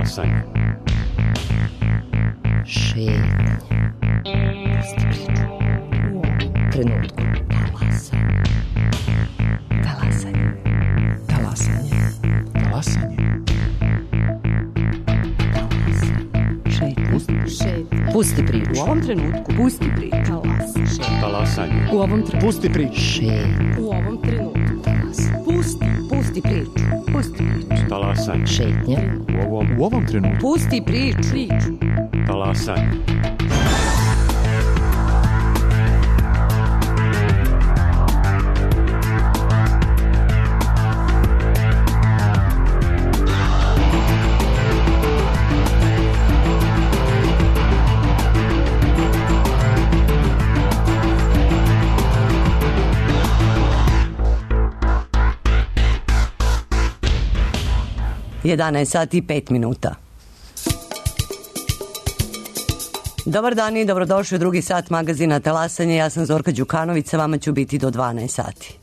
Talasanje. Šetnja. Pusti priču. U ovom trenutku. Talasanje. Talasanje. Talasanje. Šetnja. Pusti priču. U ovom trenutku. Pusti priču. Talasanje. U ovom trenutku. Pusti priču. Šetnja. U ovom trenutku. Pusti priču. Pusti priču. Talasanje. Šetnja. U ovom trenutku. Pusti priču. Talasanje. Jedanaest sati i 5 minuta. Dobar dan i dobrodošli u drugi sat magazina Talasanje. Ja sam Zorka Đukanović, sa vama ću biti do 12 sati.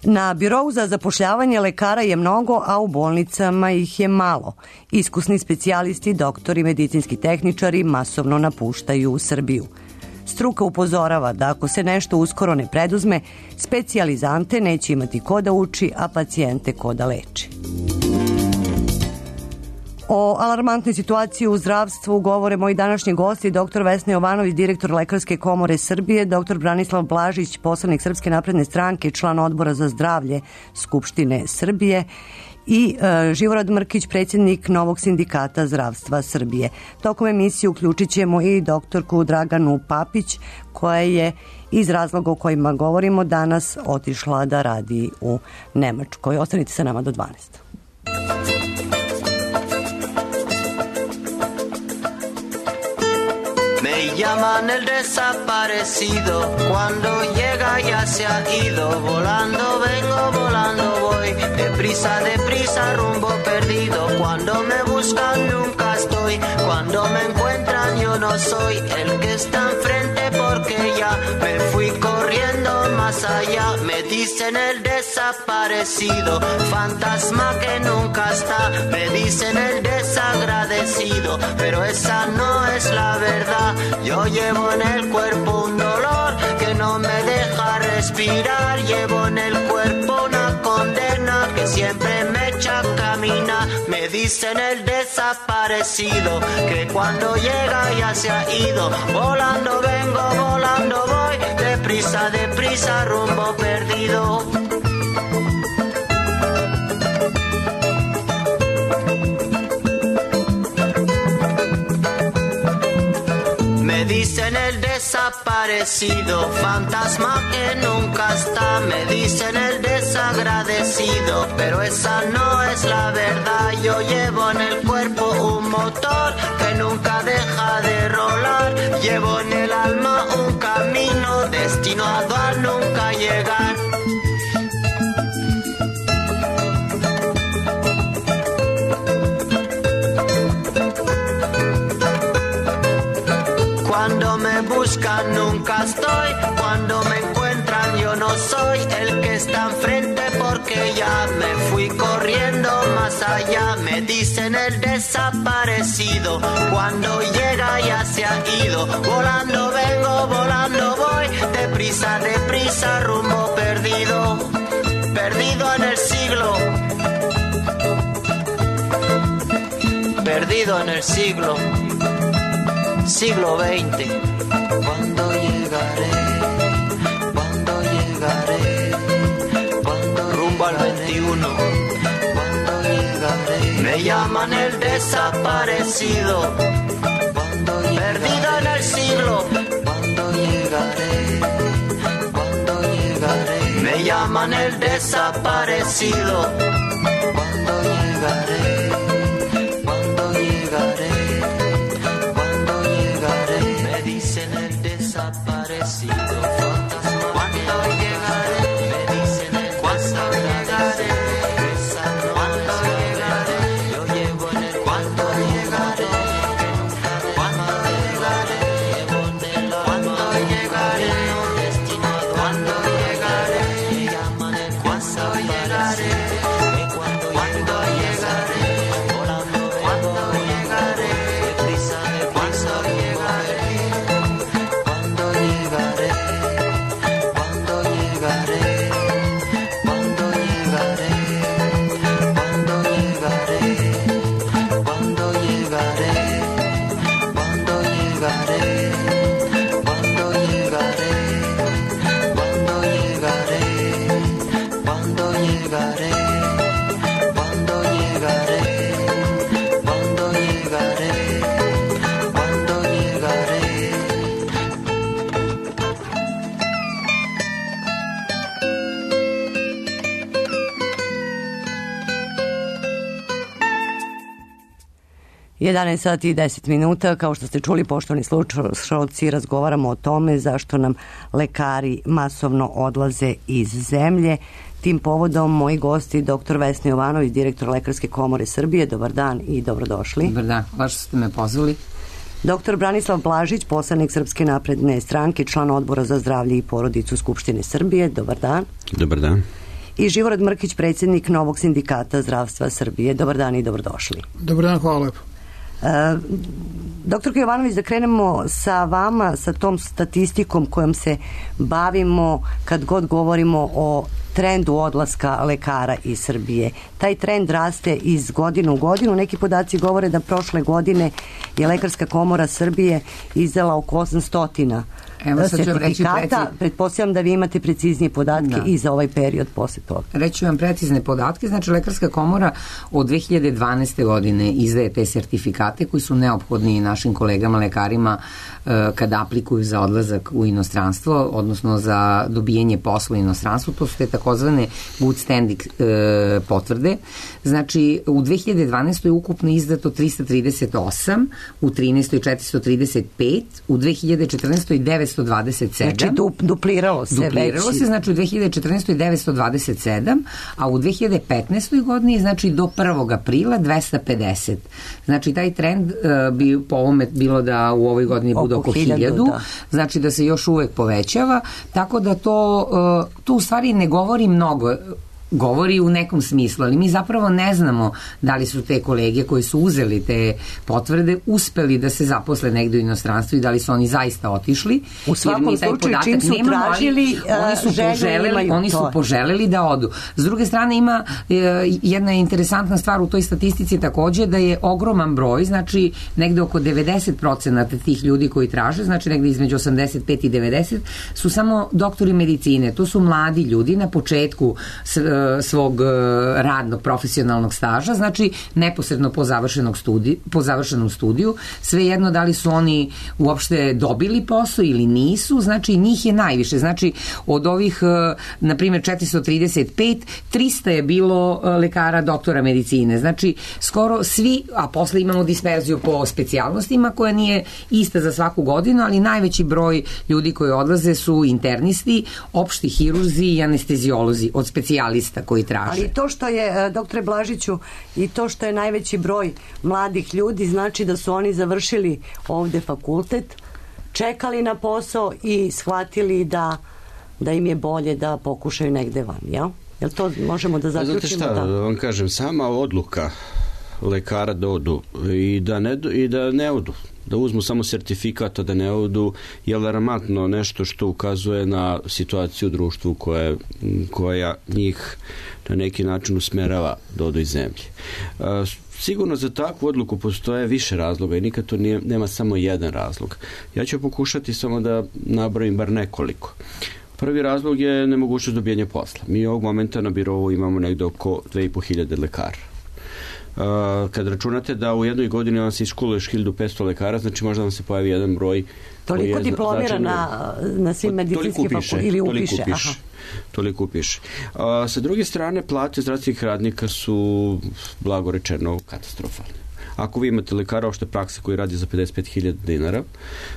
Na birou za zapošljavanje lekara je mnogo, a u bolnicama ih je malo. Iskusni specijalisti, doktori, medicinski tehničari masovno napuštaju Srbiju. Struka upozorava da ako se nešto uskoro ne preduzme, specijalizante neće imati ko da uči, a pacijente ko da leči. O alarmantnoj situaciji u zdravstvu govore moji današnji gosti, dr. Vesna Jovanović, direktor Lekarske komore Srbije, dr. Branislav Blažić, poslanik Srpske napredne stranke, član Odbora za zdravlje Skupštine Srbije i Živorad Mrkić, predsjednik Novog sindikata zdravstva Srbije. Tokom emisije uključit ćemo i doktorku Draganu Papić, koja je iz razloga o kojima govorimo danas otišla da radi u Nemačkoj. Ostanite sa nama do 12. Me llaman el desaparecido, cuando llega ya se ha ido, volando vengo, volando voy, deprisa, rumbo perdido, cuando me buscan nunca estoy, cuando me encuentran yo no soy el que está enfrente porque ya me fui corriendo más allá, me dicen el desaparecido, fantasma que nunca está, me dicen el desagradecido, pero esa no es la verdad. Yo llevo en el cuerpo un dolor que no me deja respirar. Llevo en el cuerpo una condena que siempre me echa a caminar. Me dicen el desaparecido que cuando llega ya se ha ido. Volando vengo, volando voy, deprisa, rumbo perdido. Me dicen el desaparecido, fantasma que nunca está. Me dicen el desagradecido, pero esa no es la verdad. Yo llevo en el cuerpo un motor que nunca deja de rolar. Llevo en el alma un camino destinado a nunca llegar. Cuando me buscan nunca estoy, cuando me encuentran yo no soy el que está enfrente porque ya me fui corriendo más allá. Me dicen el desaparecido, cuando llega ya se ha ido. Volando vengo, volando voy, deprisa, rumbo perdido, perdido en el siglo, perdido en el siglo. Siglo XX. ¿Cuándo llegaré? ¿Cuándo llegaré? ¿Cuándo rumbo al 21? ¿Cuándo llegaré? Me llaman el desaparecido. ¿Cuándo llegaré? Perdido en el siglo. ¿Cuándo llegaré? ¿Cuándo llegaré? Me llaman el desaparecido. ¿Cuándo llegaré? ¿Cuándo llegaré? Desaparecido, fantasma. ¿Cuándo llegaré? Me dicen el cuándo llegaré. ¿Cuándo llegaré? Yo llevo en el cuándo llegaré. ¿Cuándo llegaré? Llevo en el cuándo llegaré. Destinado cuándo llegaré. Me llaman el cuándo llegaré. ¿Cuándo llegaré? 11 sati i 10 minuta, kao što ste čuli, poštovani slušalci, razgovaramo o tome zašto nam lekari masovno odlaze iz zemlje. Tim povodom moji gosti, dr. Vesna Jovanović, direktor Lekarske komore Srbije. Dobar dan i dobrodošli. Dobar dan, hvala što ste me pozvali. Dr. Branislav Blažić, poslanik Srpske napredne stranke, član Odbora za zdravlje i porodicu Skupštine Srbije. Dobar dan. Dobar dan. I Živorad Mrkić, predsjednik Novog sindikata zdravstva Srbije. Dobar dan i dobrodošli. Dobar dan, hvala lepo. Doktorka Jovanović, da krenemo sa vama, sa tom statistikom kojom se bavimo kad god govorimo o trendu odlaska lekara iz Srbije. Taj trend raste iz godine u godinu. Neki podaci govore da prošle godine je Lekarska komora Srbije izdala oko 800 sertifikata. Pretpostavljam da vi imate preciznije podatke i za ovaj period posle toga. Reći vam precizne podatke. Znači, Lekarska komora od 2012. godine izdaje te sertifikate koji su neophodni našim kolegama lekarima kada aplikuju za odlazak u inostranstvo, odnosno za dobijanje posla u inostranstvu. To su te takozvane good standing potvrde. Znači, u 2012. je ukupno izdato 338, u 13. 435, u 2014. 927. Znači, dupliralo se. Dupliralo se, znači u 2014. 927, a u 2015. godini, znači do 1. aprila 250. Znači, taj trend bi po ovome bilo da u ovoj godini bude oko 1000, znači da se još uvek povećava, tako da to u stvari ne govori mnogo, govori u nekom smislu, ali mi zapravo ne znamo da li su te kolege koji su uzeli te potvrde uspeli da se zaposle negde u inostranstvu i da li su oni zaista otišli. U svakom slučaju, čim su tražili, oni su poželeli da odu. S druge strane, ima jedna interesantna stvar u toj statistici takođe, da je ogroman broj, znači negde oko 90% tih ljudi koji traže, znači negde između 85 i 90, su samo doktori medicine. To su mladi ljudi na početku svog radnog profesionalnog staža, znači neposredno po završenom studiju, svejedno da li su oni uopšte dobili posao ili nisu, znači njih je najviše, znači od ovih na primjer 435, 300 je bilo lekara doktora medicine, znači skoro svi, a posle imamo disperziju po specijalnostima koja nije ista za svaku godinu, ali najveći broj ljudi koji odlaze su internisti, opšti hirurzi i anestezijolozi od specijalista koji traže. Ali to što je, doktore Blažiću, i to što je najveći broj mladih ljudi, znači da su oni završili ovde fakultet, čekali na posao i shvatili da im je bolje da pokušaju negde van, jel? Jel to možemo da zaključimo? Znate šta, da vam kažem, sama odluka lekara da odu i da ne odu, da uzmu samo sertifikat, a da ne odu, je alarmantno nešto što ukazuje na situaciju u društvu koja njih na neki način usmerava da odu iz zemlje. Sigurno za takvu odluku postoje više razloga i nikad to nema samo jedan razlog. Ja ću pokušati samo da nabrojim bar nekoliko. Prvi razlog je nemogućnost dobijanja posla. Mi ovog momenta na birovu imamo negde oko 2500 lekara. Kad računate da u jednoj godini vam se iškoluješ 1500 lekara, znači možda vam se pojavi jedan broj. Toliko diplomira na svim medicinskim fakultetima ili upiše. Toliko upiše. Sa druge strane, plate zdravstvenih radnika su, blago rečeno, katastrofalne. Ako vi imate lekara opšte prakse koji radi za 55.000 dinara,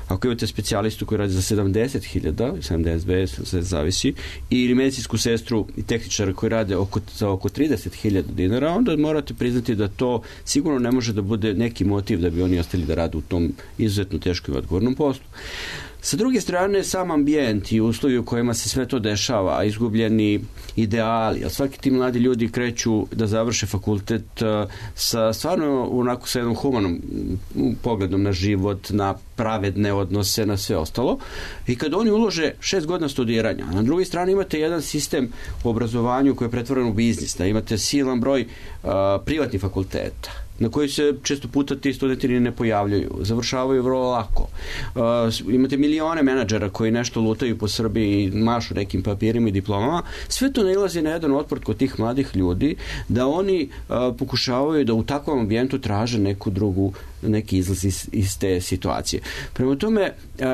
ako imate specijalistu koji radi za 70.000, 72, se zavisi, ili medicinsku sestru i tehničara koji rade za oko 30.000 dinara, onda morate priznati da to sigurno ne može da bude neki motiv da bi oni ostali da rade u tom izuzetno teškom i odgovornom poslu. Sa druge strane, sam ambijent i uslovi u kojima se sve to dešava, izgubljeni ideali, a svaki ti mladi ljudi kreću da završe fakultet sa stvarno onako sa jednom humanom pogledom na život, na pravedne odnose, na sve ostalo. I kad oni ulože 6 godina studiranja, a na drugoj strani imate jedan sistem u obrazovanju koji je pretvoren u biznis, da imate silan broj privatnih fakulteta, na koji se često puta ti studenti ne pojavljaju, završavaju vrlo lako. Imate milione menadžera koji nešto lutaju po Srbiji i mašu nekim papirima i diplomama. Sve to nailazi na jedan otpor kod tih mladih ljudi, da oni pokušavaju da u takvom ambijentu traže neki izlaz iz te situacije. Prema tome,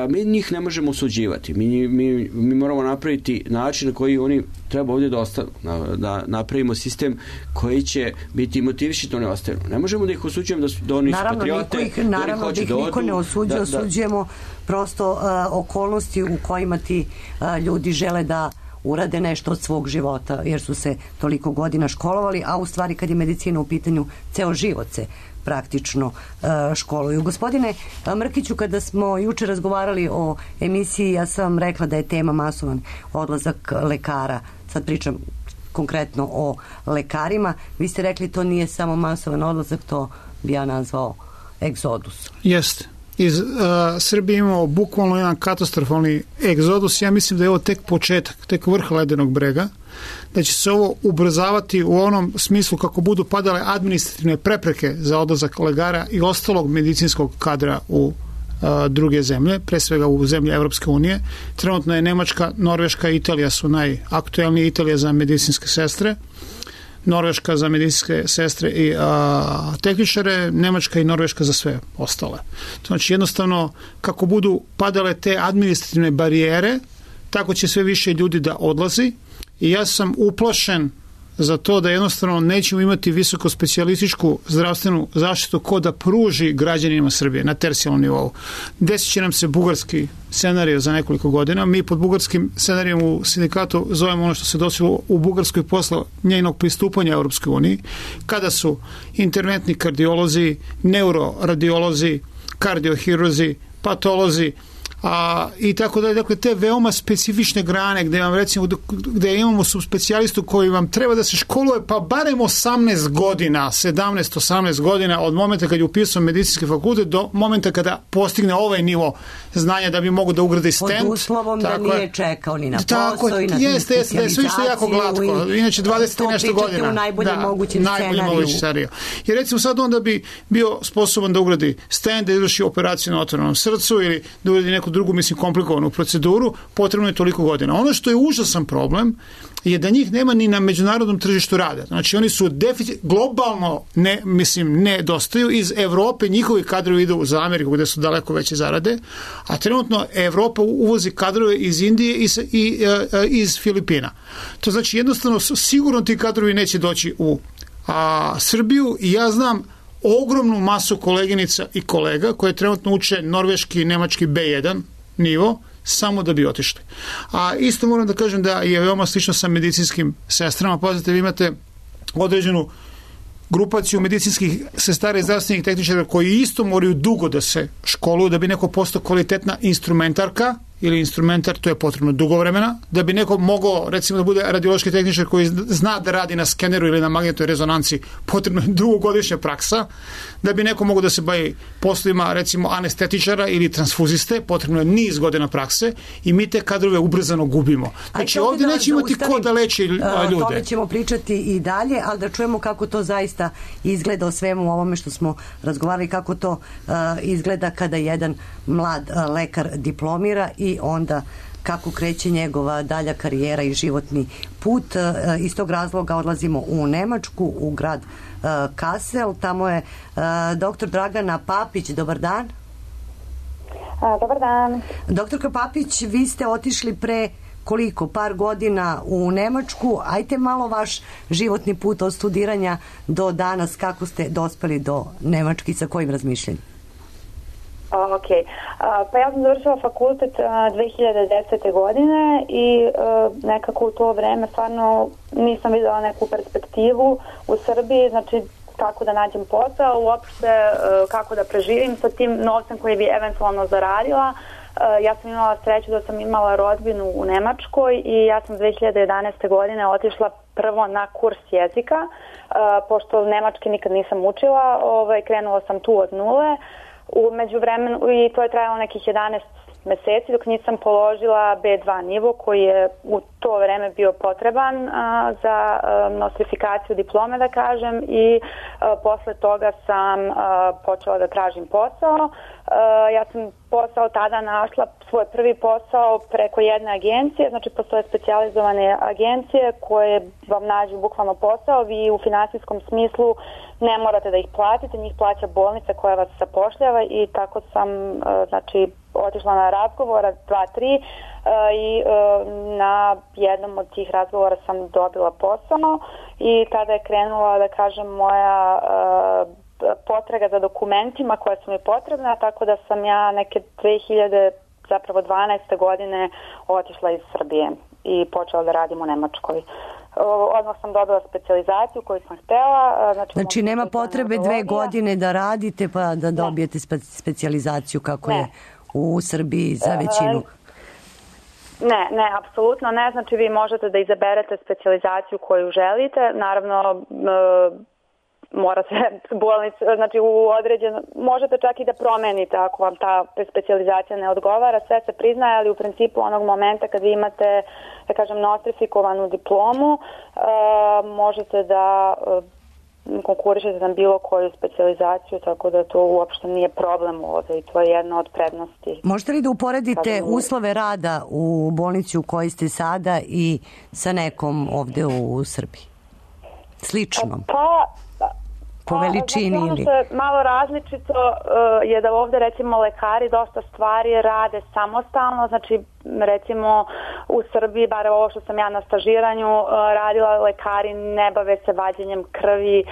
mi njih ne možemo osuđivati. Mi moramo napraviti način na koji oni treba ovdje da ostanu. Da napravimo sistem koji će biti motiviši da ne ostanu. Ne možemo kažemo da ih osuđujemo da oni su patriote, naravno da ih niko ne osuđuje, osuđujemo prosto okolnosti u kojima ti ljudi žele da urade nešto od svog života, jer su se toliko godina školovali, a u stvari kad je medicina u pitanju, ceo život se praktično školuju. Gospodine Mrkiću, kada smo juče razgovarali o emisiji, ja sam vam rekla da je tema masovan odlazak lekara. Sad pričam konkretno o lekarima. Vi ste rekli to nije samo masovan odlazak, to bi ja nazvao egzodus. Jeste. Iz Srbije imamo bukvalno jedan katastrofalni egzodus. Ja mislim da je ovo tek početak, tek vrh ledenog brega, da će se ovo ubrzavati u onom smislu kako budu padale administrativne prepreke za odlazak lekara i ostalog medicinskog kadra u druge zemlje, pre svega u zemlje Evropske unije. Trenutno je Nemačka, Norveška i Italija su najaktuelnije. Italija za medicinske sestre, Norveška za medicinske sestre i tehničare, Nemačka i Norveška za sve ostale. Znači jednostavno kako budu padale te administrativne barijere, tako će sve više ljudi da odlazi i ja sam uplašen za to da jednostavno nećemo imati visoko specijalističku zdravstvenu zaštitu ko da pruži građanima Srbije na tercijalnom nivou. Desit će nam se bugarski scenarij za nekoliko godina. Mi pod bugarskim scenarijom u sindikatu zovemo ono što se desilo u Bugarskoj posle njenog pristupanja Europskoj uniji, kada su interventni kardiolozi, neuroradiolozi, kardiohirurzi, patolozi, i tako dalje. Dakle, te veoma specifične grane gde vam recimo gde imamo subspecijalistu koji vam treba da se školuje pa barem 18 godina, 17-18 godina od momenta kad je upisao medicinski fakultet do momenta kada postigne ovaj nivo znanja da bi mogo da ugradi stent. Pod uslovom da nije čekao ni na posao i na specijalizaciju. Jeste, sve što je jako glatko. Inače 20 i nešto godina. U najboljem mogućem scenariju. Jer recimo sad onda bi bio sposoban da ugradi stent, da izvrši operaciju na otvorenom srcu ili da ugradi neku drugu, mislim, komplikovanu proceduru, potrebno je toliko godina. Ono što je užasan problem je da njih nema ni na međunarodnom tržištu rada. Znači, oni su globalno nedostaju. Iz Evrope njihovi kadrovi idu za Ameriku gde su daleko veće zarade, a trenutno Evropa uvozi kadrove iz Indije i iz Filipina. To znači, jednostavno, sigurno ti kadrovi neće doći u Srbiju i ja znam ogromnu masu koleginica i kolega koje trenutno uče norveški i nemački B1 nivo samo da bi otišli. A isto moram da kažem da je veoma slično sa medicinskim sestrama. Pazite, vi imate određenu grupaciju medicinskih sestara i zdravstvenih tehničara koji isto moraju dugo da se školuju da bi neko postao kvalitetna instrumentarka ili instrumentar, to je potrebno dugo vremena, da bi neko mogao recimo da bude radiološki tehničar koji zna da radi na skeneru ili na magnetnoj rezonanci, potrebno je dugogodišnja praksa, da bi neko mogao da se bavi poslovima recimo anestetičara ili transfuziste, potrebno je niz godina prakse i mi te kadrove ubrzano gubimo. Znači ovdje neće imati ko da leči ljude. Tome ćemo pričati i dalje, ali da čujemo kako to zaista izgleda o svemu ovome što smo razgovarali, kako to izgleda kada jedan mlad lekar diplomira i onda kako kreće njegova dalja karijera i životni put. Iz tog razloga odlazimo u Nemačku, u grad Kassel. Tamo je doktor Dragana Papić. Dobar dan. Dobar dan. Doktorka Papić, vi ste otišli pre koliko? Par godina u Nemačku. Ajte malo vaš životni put od studiranja do danas, kako ste dospeli do Nemački, sa kojim razmišljanjem? Ok. Pa ja sam završila fakultet 2010. godine i nekako u to vreme stvarno nisam videla neku perspektivu u Srbiji, znači kako da nađem posao, uopšte kako da preživim sa tim novcem koji bi eventualno zaradila. Ja sam imala sreću da sam imala rodbinu u Nemačkoj i ja sam 2011. godine otišla prvo na kurs jezika, pošto nemački nikad nisam učila, krenula sam tu od nule. U međuvremenu, i to je trajalo nekih 11 meseci dok nisam položila B2 nivo koji je u to vreme bio potreban za nostrifikaciju diplome, da kažem, i posle toga sam počela da tražim posao. Ja sam posao tada našla, svoj prvi posao preko jedne agencije, znači postoje specijalizovane agencije koje vam nađu bukvalno posao, vi u finansijskom smislu ne morate da ih platite, njih plaća bolnica koja vas zapošljava i tako sam znači otišla na razgovora 2-3 i na jednom od tih razgovora sam dobila posao i tada je krenula, da kažem, moja potraga za dokumentima koje su mi potrebne, tako da sam ja neke 2012. godine otišla iz Srbije i počela da radim u Nemačkoj. Odmah sam dobila specijalizaciju koju sam htela. Znači nema potrebe 2 godine da radite pa da dobijete specijalizaciju kako je u Srbiji za većinu. Ne, apsolutno ne. Znači vi možete da izaberete specijalizaciju koju želite. Naravno, mora se bolnica, znači u određeno, možete čak i da promenite ako vam ta specijalizacija ne odgovara, sve se priznaje, ali u principu onog momenta kad vi imate, da kažem, nostrifikovanu diplomu, možete da konkurišete na bilo koju specijalizaciju, tako da to uopšte nije problem ovde i to je jedna od prednosti. Možete li da uporedite uslove rada u bolnici u kojoj ste sada i sa nekom ovde u Srbiji? Slično? Po veličini ili? Ono što je malo različito je da ovde recimo lekari dosta stvari rade samostalno, znači recimo u Srbiji, bar ovo što sam ja na stažiranju radila, lekari ne bave se vađenjem krvi,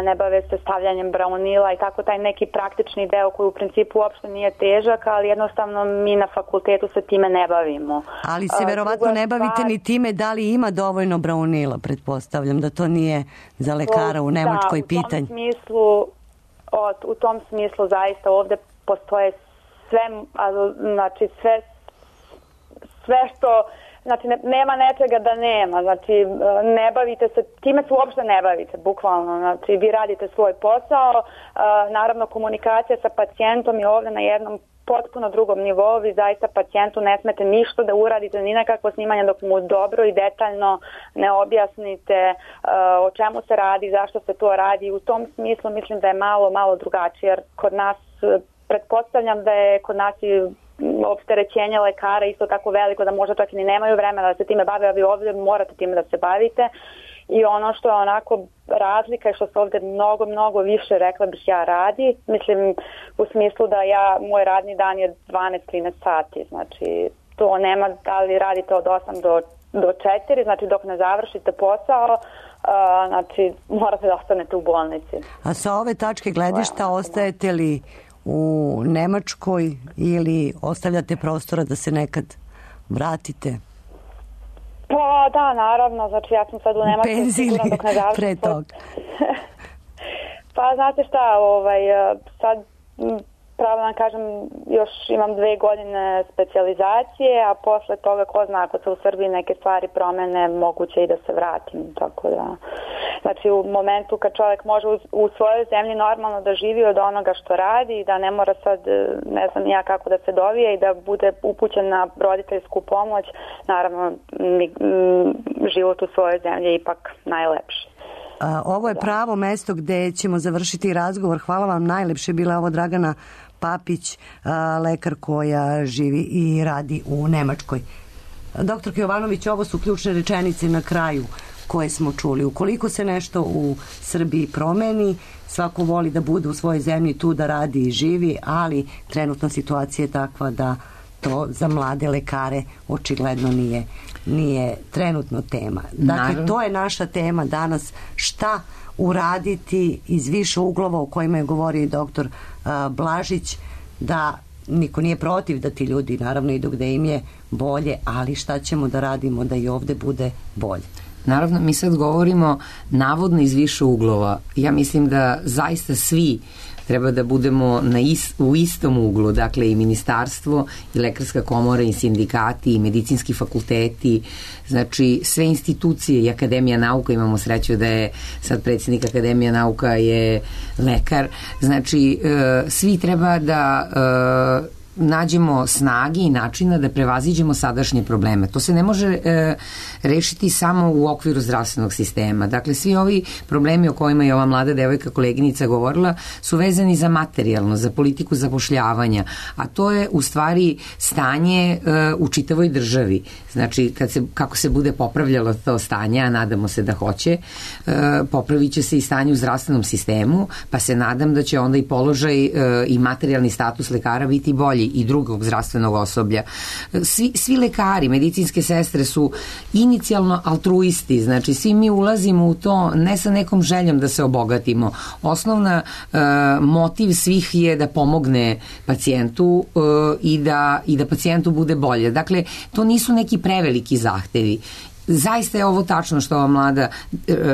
ne bave se stavljanjem braunila i tako taj neki praktični deo koji u principu uopšte nije težak, ali jednostavno mi na fakultetu se time ne bavimo. Ali se verovatno ne bavite ni time da li ima dovoljno braunila, pretpostavljam da to nije za lekara u Nemačkoj pitanje. U tom smislu zaista ovde postoje sve što, znači nema nečega da nema, znači ne bavite se, time se uopšte ne bavite, bukvalno, znači vi radite svoj posao, naravno komunikacija sa pacijentom je ovde na jednom potpuno drugom nivou, vi zaista pacijentu ne smete ništa da uradite, ni nekakvo snimanje dok mu dobro i detaljno ne objasnite o čemu se radi, zašto se to radi. U tom smislu mislim da je malo drugačije, jer kod nas, pretpostavljam da je kod nas i opterećenje lekara isto tako veliko da možda čak i nemaju vremena da se time bave, a vi ovdje morate time da se bavite. I ono što je onako razlika je što se ovdje mnogo više, rekla bih ja, radi. Mislim u smislu da moj radni dan je 12-13 sati, znači to nema da li radite od 8 do 4, znači dok ne završite posao, znači morate da ostanete u bolnici. A sa ove tačke gledišta ostajete li u Nemačkoj ili ostavljate prostora da se nekad vratite? Pa da, naravno, znači ja sam sad u Nemačkoj sigurno dok ne završim. Pre toga. Pa znate šta, sad pravo vam kažem, još imam 2 godine specijalizacije, a posle toga ko zna, ako se u Srbiji neke stvari promene, moguće i da se vratim, tako da. Znači u momentu kad čovjek može u svojoj zemlji normalno da živi od onoga što radi i da ne mora sad, ne znam ja kako da se dovije i da bude upućen na roditeljsku pomoć, naravno život u svojoj zemlji je ipak najlepši. Ovo je pravo mesto gde ćemo završiti razgovor. Hvala vam najlepše. Bila je ovo Dragana Papić, lekar koja živi i radi u Nemačkoj. Doktorka Jovanović, ovo su ključne rečenice na kraju koje smo čuli. Ukoliko se nešto u Srbiji promeni, svako voli da bude u svojoj zemlji tu da radi i živi, ali trenutna situacija je takva da to za mlade lekare očigledno nije trenutno tema. Dakle, to je naša tema danas. Šta uraditi iz više uglova o kojima je govorio i doktor Blažić, da niko nije protiv da ti ljudi naravno idu gde im je bolje, ali šta ćemo da radimo da i ovde bude bolje? Naravno, mi sad govorimo navodno iz više uglova. Ja mislim da zaista svi treba da budemo u istom uglu, dakle i ministarstvo i lekarska komora i sindikati i medicinski fakulteti, znači sve institucije i Akademija nauka, imamo sreću da je sad predsjednik Akademija nauka je lekar, znači svi treba da nađemo snage i načina da prevaziđemo sadašnje probleme. To se ne može rešiti samo u okviru zdravstvenog sistema. Dakle, svi ovi problemi o kojima je ova mlada devojka koleginica govorila su vezani za materijalno, za politiku zapošljavanja, a to je u stvari stanje u čitavoj državi. Znači, kako se bude popravljalo to stanje, a nadamo se da hoće, popravit će se i stanje u zdravstvenom sistemu, pa se nadam da će onda i položaj i materijalni status lekara biti bolji. i drugog zdravstvenog osoblja. Svi lekari, medicinske sestre su inicijalno altruisti, znači svi mi ulazimo u to ne sa nekom željom da se obogatimo. Osnovna motiv svih je da pomogne pacijentu i da pacijentu bude bolje. Dakle, to nisu neki preveliki zahtevi. Zaista je ovo tačno što ova mlada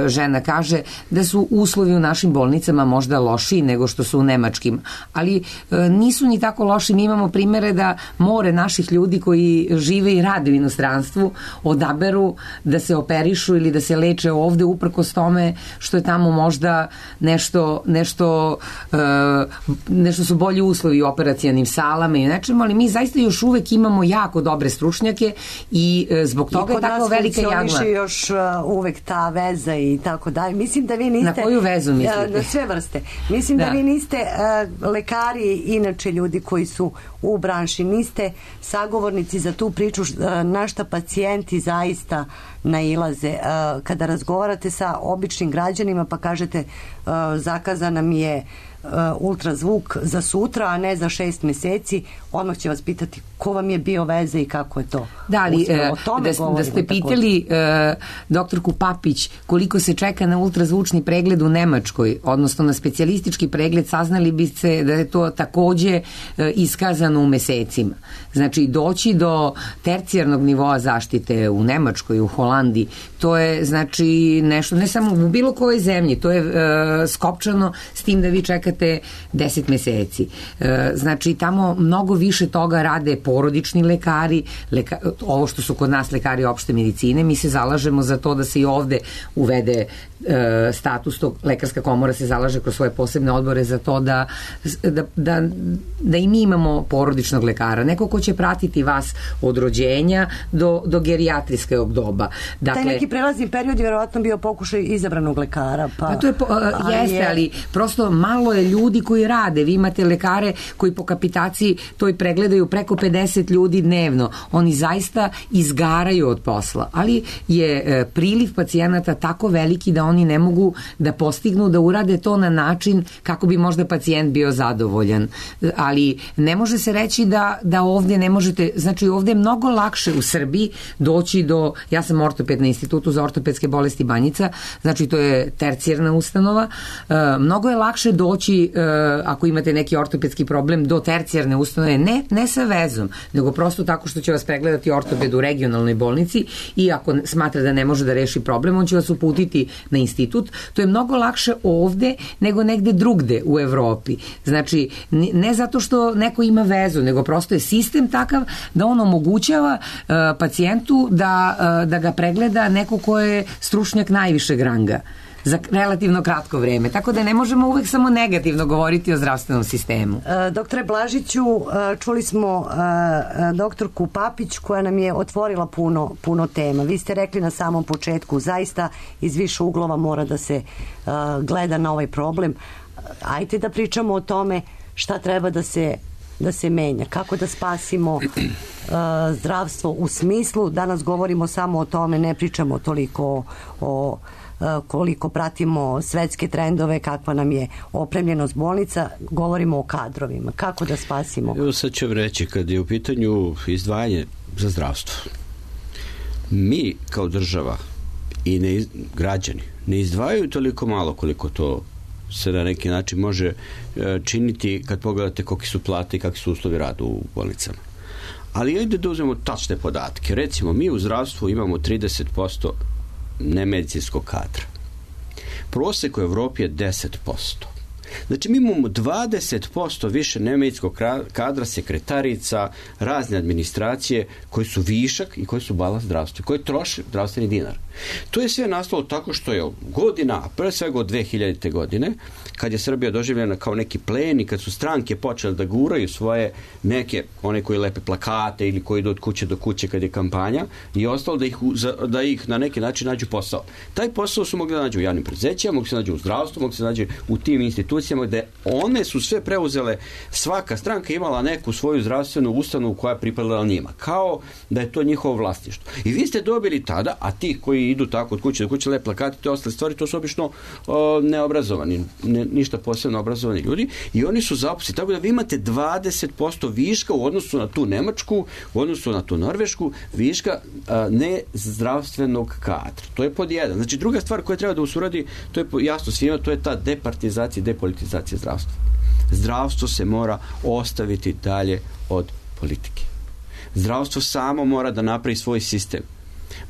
žena kaže, da su uslovi u našim bolnicama možda lošiji nego što su u nemačkim, ali nisu ni tako loši. Mi imamo primere da more naših ljudi koji žive i rade u inostranstvu odaberu da se operišu ili da se leče ovde uprkos tome što je tamo možda nešto su bolji uslovi u operacionim salama i nečemu, ali mi zaista još uvek imamo jako dobre stručnjake i zbog toga je tako velika jagla. Još uvek ta veza i tako dalje. Mislim da vi niste... Na koju vezu mislite? Na sve vrste. Mislim da vi niste lekari, inače ljudi koji su u branši, niste sagovornici za tu priču na šta pacijenti zaista nailaze. Kada razgovarate sa običnim građanima pa kažete zakazana mi je ultrazvuk za sutra, a ne za 6 meseci, odmah će vas pitati ko vam je bio veze i kako je to. Da, ali da ste pitali doktorku Papić koliko se čeka na ultrazvučni pregled u Nemačkoj, odnosno na specijalistički pregled, saznali biste da je to takođe iskazano u mesecima. Znači, doći do tercijarnog nivoa zaštite u Nemačkoj, u Holandiji, to je znači nešto, ne samo u bilo kojoj zemlji, to je skopčano s tim da vi čekate 10 meseci. Znači, tamo mnogo više toga rade porodični lekari, ovo što su kod nas lekari opšte medicine, mi se zalažemo za to da se i ovde uvede status, tog lekarska komora se zalaže kroz svoje posebne odbore za to da i mi imamo porodičnog lekara, neko ko će pratiti vas od rođenja do gerijatrijskog doba. Dakle, taj neki prelazni period je verovatno bio pokušaj izabranog lekara. Pa to je, ali prosto malo je ljudi koji rade. Vi imate lekare koji po kapitaciji to i pregledaju preko 50 ljudi dnevno. Oni zaista izgaraju od posla, ali je priliv pacijenata tako veliki da oni ne mogu da postignu da urade to na način kako bi možda pacijent bio zadovoljan. Ali ne može se reći da ovdje ne možete, znači ovdje je mnogo lakše u Srbiji doći do, ja sam ortoped na Institutu za ortopedske bolesti Banjica, znači to je tercijarna ustanova, mnogo je lakše doći ako imate neki ortopedski problem do tercijarne ustanove, ne sa vezom, nego prosto tako što će vas pregledati ortoped u regionalnoj bolnici i ako smatra da ne može da reši problem, on će vas uputiti na institut. To je mnogo lakše ovde nego negde drugde u Evropi. Znači, ne zato što neko ima vezu, nego prosto je sistem takav da on omogućava pacijentu da ga pregleda neko ko je stručnjak najvišeg ranga za relativno kratko vreme. Tako da ne možemo uvek samo negativno govoriti o zdravstvenom sistemu. Doktore Blažiću, čuli smo doktorku Papić koja nam je otvorila puno tema. Vi ste rekli na samom početku, zaista iz više uglova mora da se gleda na ovaj problem. Ajde da pričamo o tome šta treba da se menja, kako da spasimo zdravstvo u smislu, danas govorimo samo o tome, ne pričamo toliko o koliko pratimo svetske trendove, kakva nam je opremljenost bolnica, govorimo o kadrovima. Kako da spasimo? Evo sad ću reći, kad je u pitanju izdvajanje za zdravstvo, mi kao država i građani ne izdvajaju toliko malo koliko to se na neki način može činiti kad pogledate koliki su plate i kakvi su uslovi rada u bolnicama. Ali ajde da uzmemo tačne podatke. Recimo, mi u zdravstvu imamo 30% nemedicinskog kadra. Prosek u Evropi je 10%. Znači, mi imamo 20% više nemedicinskog kadra, sekretarica, razne administracije koji su višak i koji su balans zdravstva, koji troše zdravstveni dinar. To je sve nastalo tako što je godina, a pre svega od 2000. godine, kad je Srbija doživljena kao neki plen i kad su stranke počele da guraju svoje neke, one koji lepe plakate ili koji idu od kuće do kuće kad je kampanja, i ostalo da ih na neki način nađu posao. Taj posao su mogli da nađu u javnim preduzećima, mogli se nađu u zdravstvu, mogli se nađu u tim institucijama gde one su sve preuzele, svaka stranka imala neku svoju zdravstvenu ustanovu koja je pripadala njima, kao da je to njihovo vlasništvo. I vi ste dobili tada, a ti koji koji idu tako od kuće do kuće, lep plakati, te ostale stvari, to su obično neobrazovani, ništa posebno obrazovani ljudi i oni su zaposleni. Tako da vi imate 20% viška u odnosu na tu Nemačku, u odnosu na tu Norvešku, viška nezdravstvenog kadra. To je pod jedan. Znači, druga stvar koja treba da usuradi, to je jasno svima, to je ta departizacija i depolitizacija zdravstva. Zdravstvo se mora ostaviti dalje od politike. Zdravstvo samo mora da napravi svoj sistem.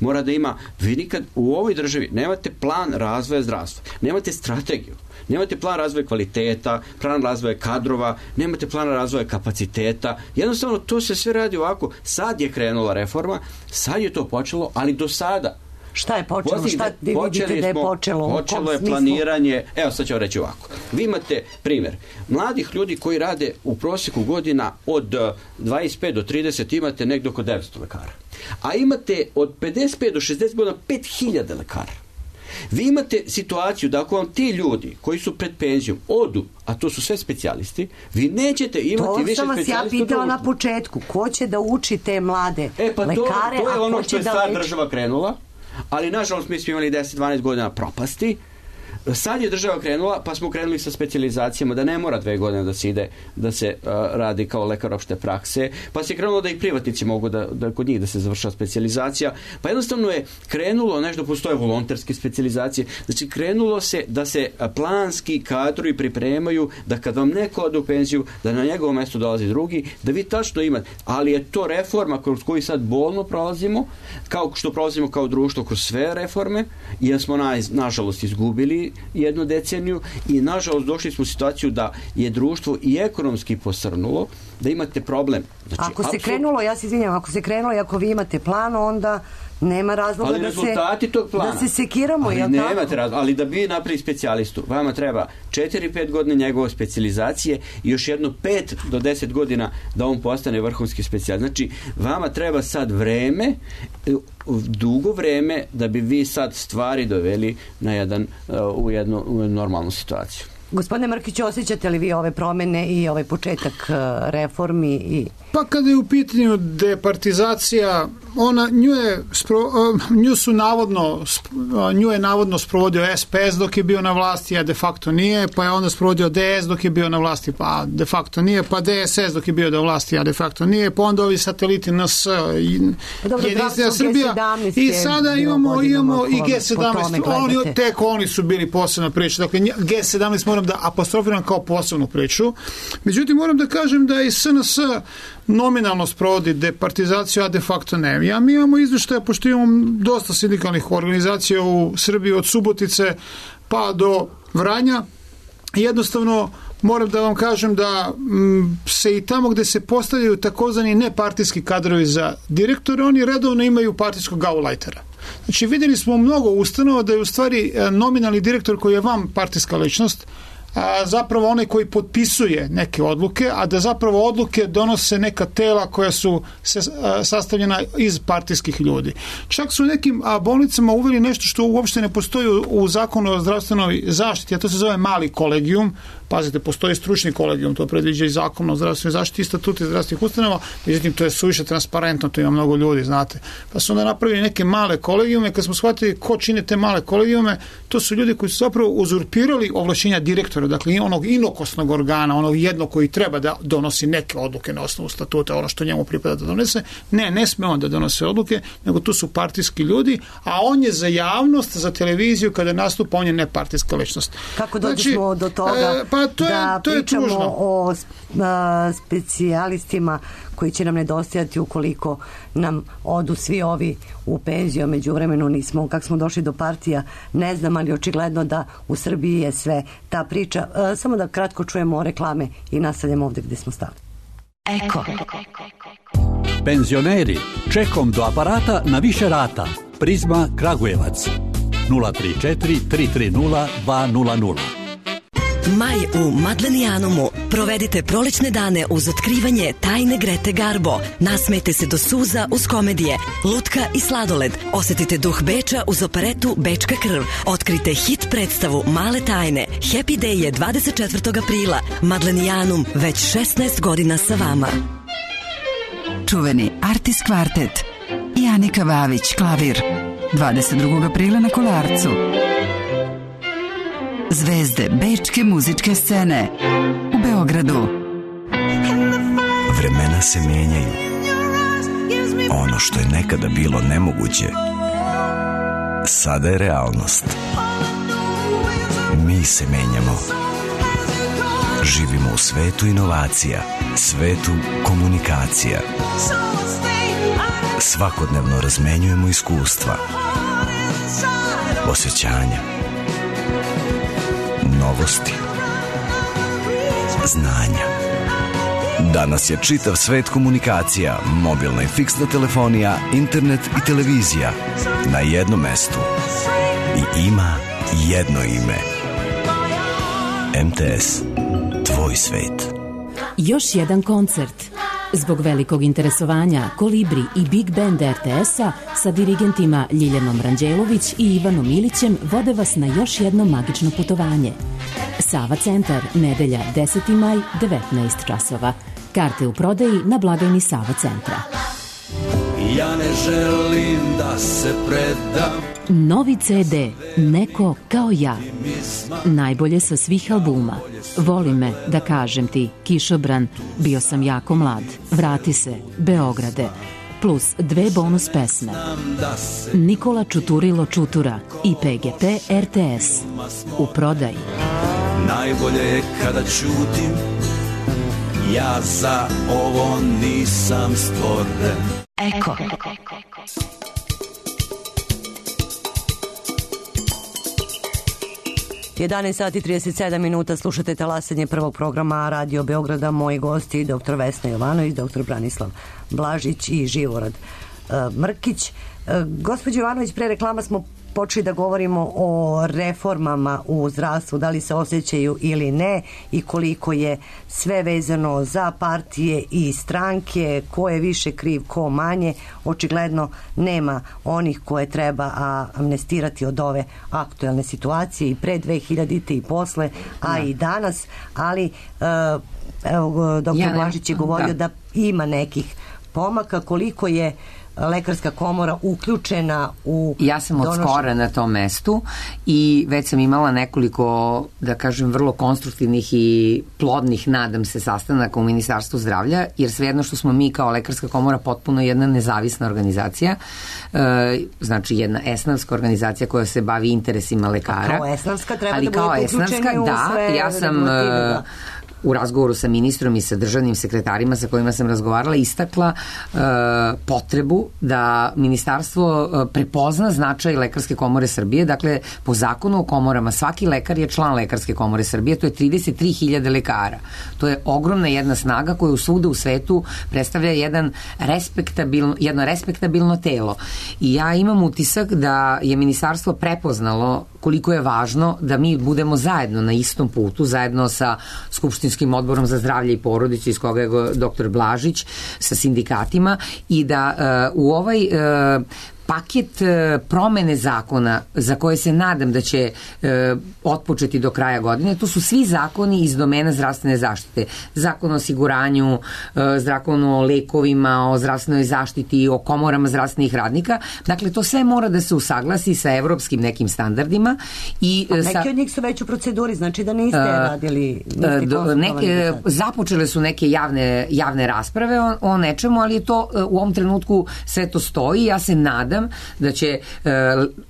Mora da ima, vi nikad u ovoj državi nemate plan razvoja zdravstva, nemate strategiju, nemate plan razvoja kvaliteta, plan razvoja kadrova, nemate plan razvoja kapaciteta, jednostavno to se sve radi ovako. Sad je krenula reforma, sad je to počelo, ali do sada šta je počelo? Šta vi vidite da je počelo? Počelo je planiranje, evo sad ću vam reći ovako. Vi imate primjer, mladih ljudi koji rade u prosjeku godina od 25 do 30 imate negdje oko 900 lekara. A imate od 55 do 60 godina 5000 lekara. Vi imate situaciju da ako vam ti ljudi koji su pred penzijom odu, a to su sve specijalisti, vi nećete imati više specijalista. To sam vas ja pitala na početku. Ko će da uči te mlade lekare? To je ono što je sad država krenula. Ali, nažalost, mi smo imali 10-12 godina propasti. Sad je država krenula, pa smo krenuli sa specijalizacijama, da ne mora 2 godine da se ide, da se radi kao lekar opšte prakse, pa se krenulo da i privatnici mogu da kod njih da se završava specijalizacija, pa jednostavno je krenulo nešto, postoje volonterske specijalizacije, znači krenulo se da se planski kadrovi pripremaju, da kad vam neko ode u penziju, da na njegovo mesto dolazi drugi, da vi tačno imate, ali je to reforma kroz koju sad bolno prolazimo, kao što prolazimo kao društvo kroz sve reforme, jer smo nažalost izgubili jednu deceniju i nažalost došli smo u situaciju da je društvo i ekonomski posrnulo, da imate problem. Znači, ako se krenulo, ja se izvinjam, ako se krenulo i ako vi imate plan, onda nema razloga da se sekiramo. Ali nemate razloga, ali da bi napravili specijalistu, vama treba 4-5 godina njegove specijalizacije i još jedno 5 do 10 godina da on postane vrhunski specijalist. Znači, vama treba sad vreme, dugo vreme da bi vi sad stvari doveli na u jednu normalnu situaciju. Gospodine Mrkiću, osjećate li vi ove promene i ovaj početak reformi? Pa kada je u pitanju departizacija, nju je navodno sprovodio SPS dok je bio na vlasti, a de facto nije, pa je onda sprovodio DS dok je bio na vlasti, pa de facto nije, pa DSS dok je bio na vlasti, a de facto nije, pa onda ovi sateliti NS, Jedinstvena Srbija, i sada imamo i G17, tek oni su bili posebna priča, dakle G17 moram da apostrofiram kao posebnu priču. Međutim, moram da kažem da i SNS nominalno sprovodi departizaciju, a de facto ne. Mi imamo izveštaje, pošto imamo dosta sindikalnih organizacija u Srbiji od Subotice pa do Vranja. Jednostavno, moram da vam kažem da se i tamo gde se postavljaju takozvani nepartijski kadrovi za direktore, oni redovno imaju partijskog gaulajtera. Znači, vidjeli smo mnogo ustanova da je u stvari nominalni direktor koji je vam partijska ličnost, zapravo onaj koji potpisuje neke odluke, a da zapravo odluke donose neka tela koja su sastavljena iz partijskih ljudi. Čak su u nekim bolnicama uveli nešto što uopšte ne postoji u zakonu o zdravstvenoj zaštiti, a to se zove mali kolegijum. Pazite, postoji stručni kolegijum, to predviđa i zakon o zdravstvenoj zaštiti i statuti zdravstvenih ustanova, međutim to je suviše transparentno, to ima mnogo ljudi, znate. Pa su onda napravili neke male kolegijume, kad smo shvatili ko čine te male kolegijume, to su ljudi koji su zapravo uzurpirali ovlašćenja direktora, dakle onog inokosnog organa, onog jednog koji treba da donosi neke odluke na osnovu statuta, ono što njemu pripada da donese. Ne sme on da donose odluke, nego tu su partijski ljudi, a on je za javnost, za televiziju, kada nastupa, on je nepartijska ličnost. Kako dođemo do toga da pričamo o specijalistima koji će nam nedostajati ukoliko nam odu svi ovi u penziju, međuvremenu nismo, kako smo došli do partija, ne znam, ali očigledno da u Srbiji je sve ta priča. Samo da kratko čujemo reklame i nastavljamo ovdje gdje smo stali. Eko. Penzioneri, čekom do aparata na više rata. Prizma Kragujevac 034 330 200. Maj u Madlenijanumu. Provedite prolećne dane uz otkrivanje tajne Grete Garbo. Nasmejte se do suza uz komedije, lutka i sladoled. Osetite duh Beča uz operetu Bečka krv. Otkrite hit predstavu Male tajne. Happy Day je 24. aprila. Madlenijanum već 16 godina sa vama. Čuveni Artis kvartet i Anika Vavić klavir. 22. aprila na Kolarcu. Zvezde bečke muzičke scene u Beogradu. Vremena se menjaju. Ono što je nekada bilo nemoguće, sada je realnost. Mi se menjamo. Živimo u svetu inovacija, svetu komunikacija. Svakodnevno razmenjujemo iskustva, osjećanja, novosti, znanja. Danas je čitav svet komunikacija, mobilna i fiksna telefonija, internet i televizija na jednom mestu. I ima jedno ime. MTS. Tvoj svet. Još jedan koncert. Zbog velikog interesovanja Kolibri i Big Band RTS-a sa dirigentima Ljiljanom Ranđelović i Ivanom Ilićem vode vas na još jedno magično putovanje. Sava centar, nedelja 10. maj, 19 časova. Karte u prodaji na blagajni Sava centra. Ja ne želim da se predam. Novi CD, Neko kao ja. Najbolje sa svih albuma. Voli me, da kažem ti, Kišobran, Bio sam jako mlad, Vrati se, Beograde, plus 2 bonus pesme. Nikola Čuturilo Čutura i PGP RTS. U prodaji. Najbolje je kada ćutim, ja za ovo nisam stvoren. Eko. 11 sati 37 minuta, slušate talasanje prvog programa Radio Beograda. Moji gosti, dr. Vesna Jovanović, dr. Branislav Blažić i Živorad Mrkić. Gospođo Jovanović, pre reklama smo počeli da govorimo o reformama u zdravstvu, da li se osjećaju ili ne i koliko je sve vezano za partije i stranke, ko je više kriv, ko manje. Očigledno nema onih koje treba amnestirati od ove aktuelne situacije i pre 2000 i posle, a i danas, ali evo, dr. Blažić je govorio da ima nekih pomaka. Koliko je Lekarska komora uključena u Ja sam od skora na tom mestu i već sam imala nekoliko, da kažem, vrlo konstruktivnih i plodnih, nadam se, sastanaka u Ministarstvu zdravlja, jer svejedno što smo mi kao Lekarska komora potpuno jedna nezavisna organizacija, znači jedna esnavska organizacija koja se bavi interesima lekara. Kao esnavska treba ali da budete uključeni u sve ja sam u razgovoru sa ministrom i sa državnim sekretarima sa kojima sam razgovarala istakla potrebu da ministarstvo prepozna značaj Lekarske komore Srbije. Dakle, po zakonu o komorama svaki lekar je član Lekarske komore Srbije, to je 33.000 lekara. To je ogromna jedna snaga koja svugde u svetu predstavlja jedno respektabilno telo. I ja imam utisak da je ministarstvo prepoznalo koliko je važno da mi budemo zajedno na istom putu, zajedno sa Skupštinskim odborom za zdravlje i porodicu iz koga je dr. Blažić, sa sindikatima i da u ovaj paket promene zakona za koje se nadam da će otpočeti do kraja godine, to su svi zakoni iz domena zdravstvene zaštite. Zakon o osiguranju, zakon o lekovima, o zdravstvenoj zaštiti, o komorama zdravstvenih radnika. Dakle, to sve mora da se usaglasi sa evropskim nekim standardima. Neki od njih su već u proceduri, znači da niste radili, započele su neke javne rasprave o nečemu, ali je to u ovom trenutku sve to stoji. Ja se nadam da će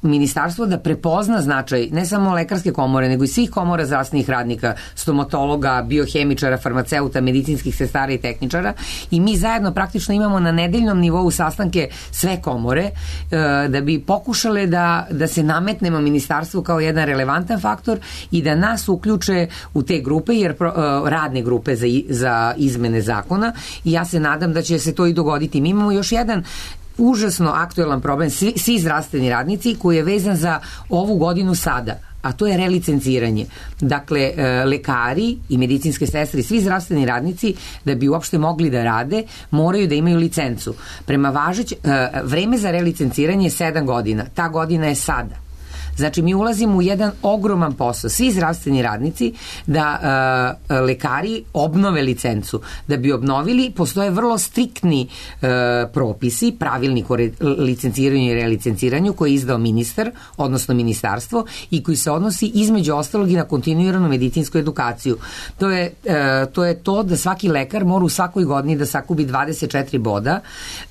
ministarstvo da prepozna značaj ne samo Lekarske komore, nego i svih komora zdravstvenih radnika, stomatologa, biohemičara, farmaceuta, medicinskih sestara i tehničara, i mi zajedno praktično imamo na nedeljnom nivou sastanke sve komore da bi pokušale da se nametnemo ministarstvu kao jedan relevantan faktor i da nas uključe u te grupe, jer radne grupe za izmene zakona, i ja se nadam da će se to i dogoditi. Mi imamo još jedan užasno aktuelan problem, svi zdravstveni radnici, koji je vezan za ovu godinu sada, a to je relicenciranje. Dakle, lekari i medicinske sestre i svi zdravstveni radnici, da bi uopšte mogli da rade, moraju da imaju licencu. Prema vreme za relicenciranje je 7 godina. Ta godina je sada. Znači, mi ulazimo u jedan ogroman posao. Svi zdravstveni radnici da lekari obnove licencu. Da bi obnovili, postoje vrlo striktni propisi, pravilnik o licenciranju i relicenciranju koji je izdao ministar, odnosno ministarstvo, i koji se odnosi između ostalog i na kontinuiranu medicinsku edukaciju. To je to da svaki lekar mora u svakoj godini da sakupi 24 boda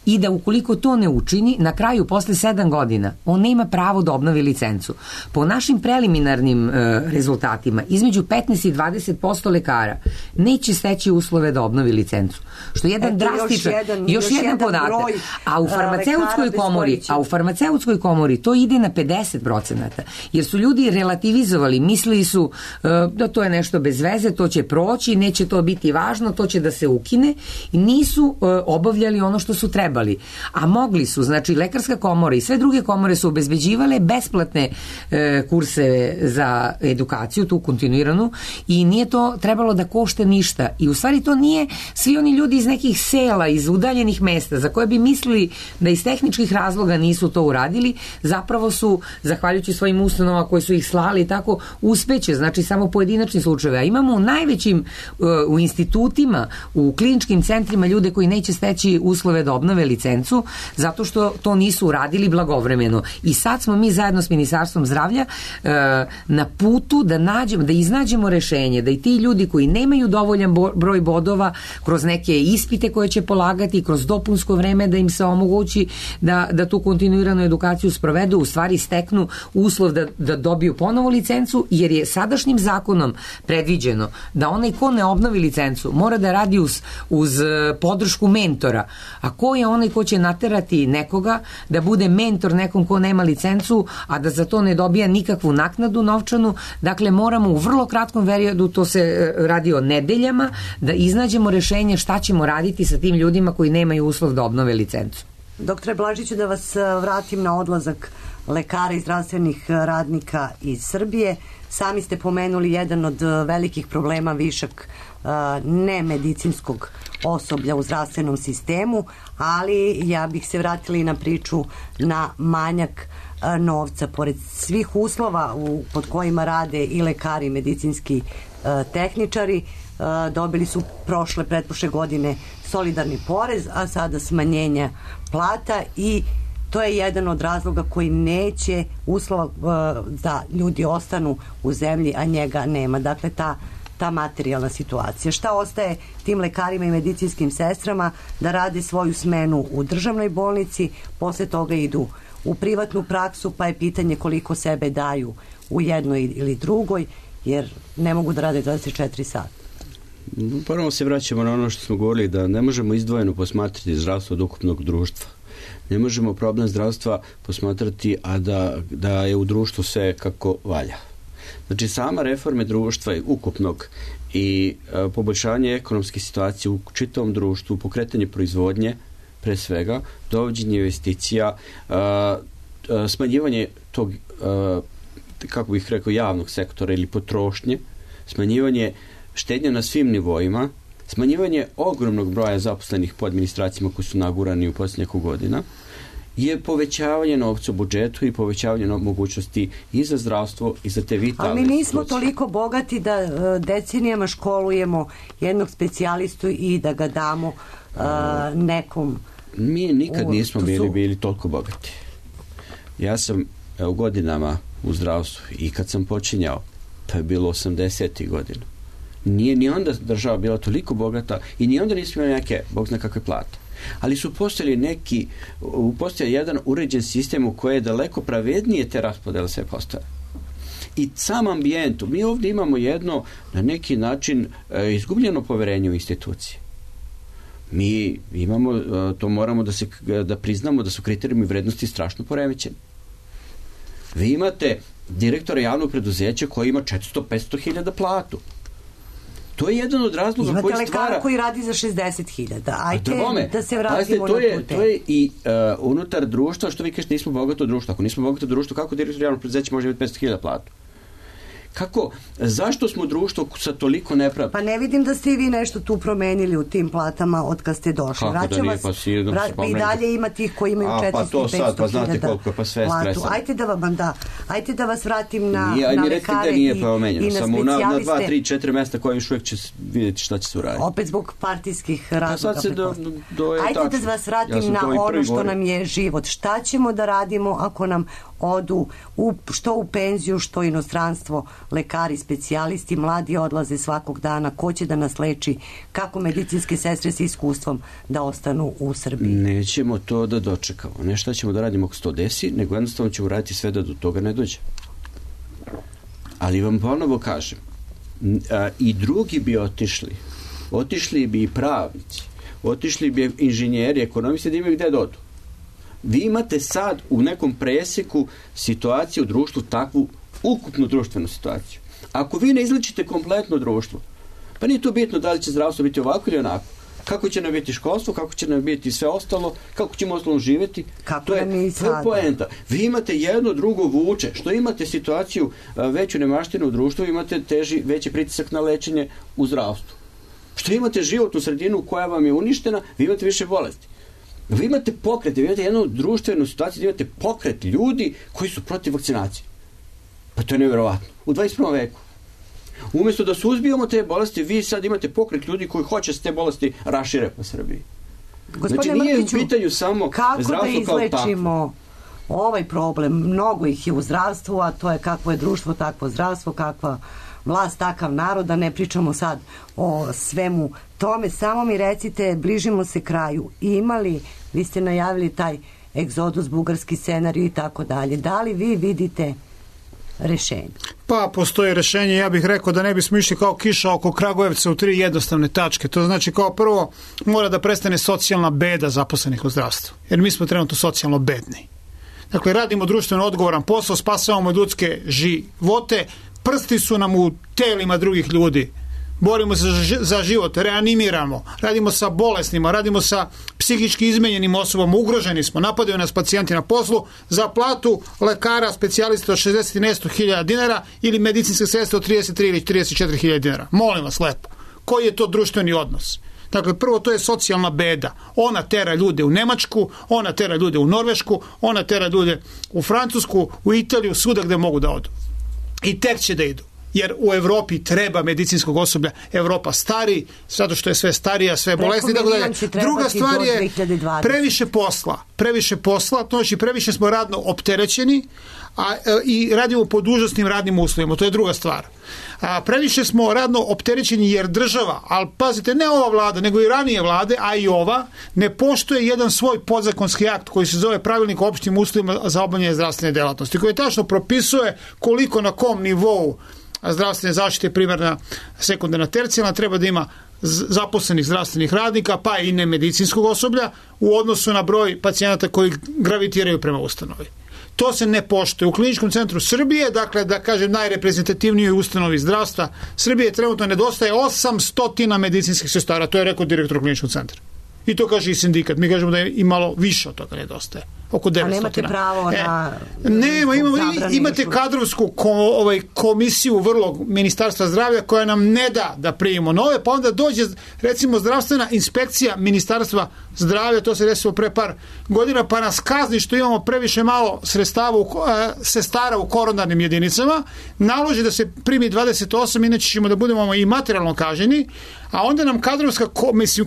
i da ukoliko to ne učini, na kraju posle 7 godina on nema pravo da obnovi licencu. Po našim preliminarnim rezultatima, između 15 i 20% lekara neće steći uslove da obnovi licencu. Što je jedan drastičan, još jedan podatak. A u farmaceutskoj komori to ide na 50%, jer su ljudi relativizovali, mislili su da to je nešto bez veze, to će proći, neće to biti važno, to će da se ukine, i nisu obavljali ono što su trebali. A mogli su, znači lekarska komora i sve druge komore su obezbeđivale besplatne kurse za edukaciju, tu kontinuiranu, i nije to trebalo da košta ništa. I u stvari to nije svi oni ljudi iz nekih sela, iz udaljenih mesta, za koje bi mislili da iz tehničkih razloga nisu to uradili, zapravo su, zahvaljujući svojim ustanovama koji su ih slali i tako, uspeće, znači samo pojedinačni slučajeve. A imamo u najvećim, u institutima, u kliničkim centrima ljude koji neće steći uslove da obnove licencu, zato što to nisu uradili blagovremeno. I sad smo mi zajedno s Ministarstvom zdravlja na putu da iznađemo rešenje, da i ti ljudi koji nemaju dovoljan broj bodova kroz neke ispite koje će polagati, kroz dopunsko vreme da im se omogući da tu kontinuiranu edukaciju sprovedu, u stvari steknu uslov da dobiju ponovo licencu, jer je sadašnjim zakonom predviđeno da onaj ko ne obnovi licencu mora da radi uz podršku mentora. A ko je onaj ko će naterati nekoga da bude mentor nekom ko nema licencu, a da za to ne dobija nikakvu naknadu novčanu? Dakle, moramo u vrlo kratkom periodu, to se radi o nedeljama, da iznađemo rešenje šta ćemo raditi sa tim ljudima koji nemaju uslov da obnove licencu. Doktore Blažiću, da vas vratim na odlazak lekara i zdravstvenih radnika iz Srbije. Sami ste pomenuli jedan od velikih problema, višak nemedicinskog osoblja u zdravstvenom sistemu, ali ja bih se vratila i na priču na manjak novca. Pored svih uslova pod kojima rade i lekari i medicinski tehničari, dobili su pretprošle godine solidarni porez, a sada smanjenja plata, i to je jedan od razloga koji neće uslova da ljudi ostanu u zemlji, a njega nema. Dakle, ta materijalna situacija. Šta ostaje tim lekarima i medicinskim sestrama? Da rade svoju smenu u državnoj bolnici, posle toga idu u privatnu praksu, pa je pitanje koliko sebe daju u jednoj ili drugoj, jer ne mogu da rade 24 sata. Prvo se vraćamo na ono što smo govorili, da ne možemo izdvojeno posmatrati zdravstvo od ukupnog društva. Ne možemo problem zdravstva posmatrati, a da je u društvu sve kako valja. Znači, sama reforme društva ukupnog i poboljšanje ekonomske situacije u čitavom društvu, pokretanje proizvodnje, pre svega, dovođenje investicija, smanjivanje tog, kako bih rekao, javnog sektora ili potrošnje, smanjivanje štednja na svim nivoima, smanjivanje ogromnog broja zaposlenih po administracijama koji su nagurani u posljednjih godina, je povećavanje novca u budžetu i povećavanje mogućnosti i za zdravstvo i za te vitalne. Ali mi nismo toliko bogati da decenijama školujemo jednog specijalistu i da ga damo nekom. Mi nikad nismo bili toliko bogati. Ja sam u godinama u zdravstvu i kad sam počinjao, to je bilo 80. godina. Nije ni onda država bila toliko bogata i ni onda nismo imali neke, bog zna kakve plate. Ali su postojali jedan uređen sistem u koje je daleko pravednije te raspodele sve postoje. I sam ambijentu, mi ovdje imamo jedno na neki način izgubljeno poverenje u institucije. Mi imamo, to moramo da priznamo da su kriterijumi vrednosti strašno poremećeni. Vi imate direktora javnog preduzeća koji ima 400-500 hiljada platu. To je jedan od razloga koji stvara... Imate lekara koji radi za 60.000. Ajde da se vratimo na tu temu. To je i unutar društva, što vi kažete, nismo bogato društvo. Ako nismo bogato društvo, kako direktor javnog preduzeća može imati 500.000 platu? Zašto smo društvo sa toliko nepravda? Pa ne vidim da ste i vi nešto tu promenili u tim platama od kad ste došli. Kako da nije, pa i dalje ima tih koji imaju 400 i 500 pa znate koliko je, pa sve je stresano. Ajte da vas vratim na lekare i na specijaliste. Samo na 2, 3, 4 mesta koje još uvijek će vidjeti šta će se uraditi. Opet zbog partijskih razloga. Ajde da vas vratim na ono što nam je život. Šta ćemo da radimo ako nam odu što u penziju, što u inostranstvo lekari, specijalisti, mladi odlaze svakog dana, ko će da nas leči, kako medicinske sestre sa iskustvom da ostanu u Srbiji? Nećemo to da dočekamo. Ne šta ćemo da radimo ako se to desi, nego jednostavno ćemo raditi sve da do toga ne dođe. Ali vam ponovo kažem, i drugi bi otišli bi i pravnici, otišli bi inženjeri, ekonomisti, da imaju gde da odu. Vi imate sad u nekom presjeku situaciju u društvu, takvu ukupnu društvenu situaciju. Ako vi ne izlečite kompletno društvo, pa nije to bitno da li će zdravstvo biti ovako ili onako. Kako će nam biti školstvo, kako će nam biti sve ostalo, kako ćemo ostalo živjeti. To je poenta. Vi imate jedno, drugo vuče. Što imate situaciju veću nemaštinu u društvu, imate veći pritisak na lečenje u zdravstvu. Što imate životnu sredinu koja vam je uništena, vi imate više bolesti. Vi imate pokret, vi imate jednu društvenu situaciju, vi imate pokret ljudi koji su protiv vakcinacije. Pa to je nevjerovatno. U 21. veku. Umjesto da suzbijamo te bolesti, vi sad imate pokret ljudi koji hoće se te bolesti rašire po Srbiji. Znači nije u pitanju samo zdravstvo kao tako. Kako da izlečimo ovaj problem? Mnogo ih je u zdravstvu, a to je kakvo je društvo, takvo zdravstvo, kakva vlast, takav narod, da ne pričamo sad o svemu tome. Samo mi recite, bližimo se kraju. Vi ste najavili taj egzodus, bugarski scenarij i tako dalje. Da li vi vidite rešenje? Pa postoji rešenje, ja bih rekao da ne bismo išli kao kiša oko Kragujevca u 3 jednostavne tačke. To znači kao prvo mora da prestane socijalna beda zaposlenih u zdravstvu. Jer mi smo trenutno socijalno bedni. Dakle, radimo društveno odgovoran posao, spasavamo ljudske živote, prsti su nam u telima drugih ljudi. Borimo se za život, reanimiramo, radimo sa bolesnima, radimo sa psihički izmenjenim osobama, ugroženi smo, napadaju nas pacijenti na poslu, za platu lekara, specijalista od 60 i nešto hiljada dinara ili medicinske sestre od 33 ili 34 hiljada dinara. Molim vas lepo, koji je to društveni odnos? Dakle, prvo to je socijalna beda. Ona tera ljude u Nemačku, ona tera ljude u Norvešku, ona tera ljude u Francusku, u Italiju, svuda gde mogu da odu. I tek će da idu. Jer u Evropi treba medicinskog osoblja. Evropa stari, zato što je sve starija, sve bolesni. Druga stvar je previše posla, to znači previše smo radno opterećeni i radimo pod užasnim radnim uslovima. To je druga stvar. Previše smo radno opterećeni jer država, ali pazite, ne ova vlada, nego i ranije vlade, a i ova, ne poštuje jedan svoj podzakonski akt koji se zove Pravilnik o opštim uslovima za obavljanje zdravstvene delatnosti, koji tačno propisuje koliko na kom nivou zdravstvene zaštite, primarna, sekundarna, tercijalna, treba da ima zaposlenih zdravstvenih radnika, pa i nemedicinskog osoblja u odnosu na broj pacijenata koji gravitiraju prema ustanovi. To se ne poštuje. U Kliničkom centru Srbije, dakle, da kažem, najreprezentativnijoj ustanovi zdravstva Srbije, trenutno nedostaje 800 medicinskih sestara. To je rekao direktor Kliničkog centra. I to kaže i sindikat. Mi kažemo da je i malo više od toga nedostaje. Oko 900. A nemate pravo na... Imate kadrovsku komisiju vrlo Ministarstva zdravlja koja nam ne da primimo nove, pa onda dođe recimo zdravstvena inspekcija Ministarstva zdravlja, to se desilo pre par godina, pa nas kazni što imamo previše malo sestara u koronarnim jedinicama, naloži da se primi 28, inače ćemo da budemo i materijalno kažnjeni, a onda nam kadrovska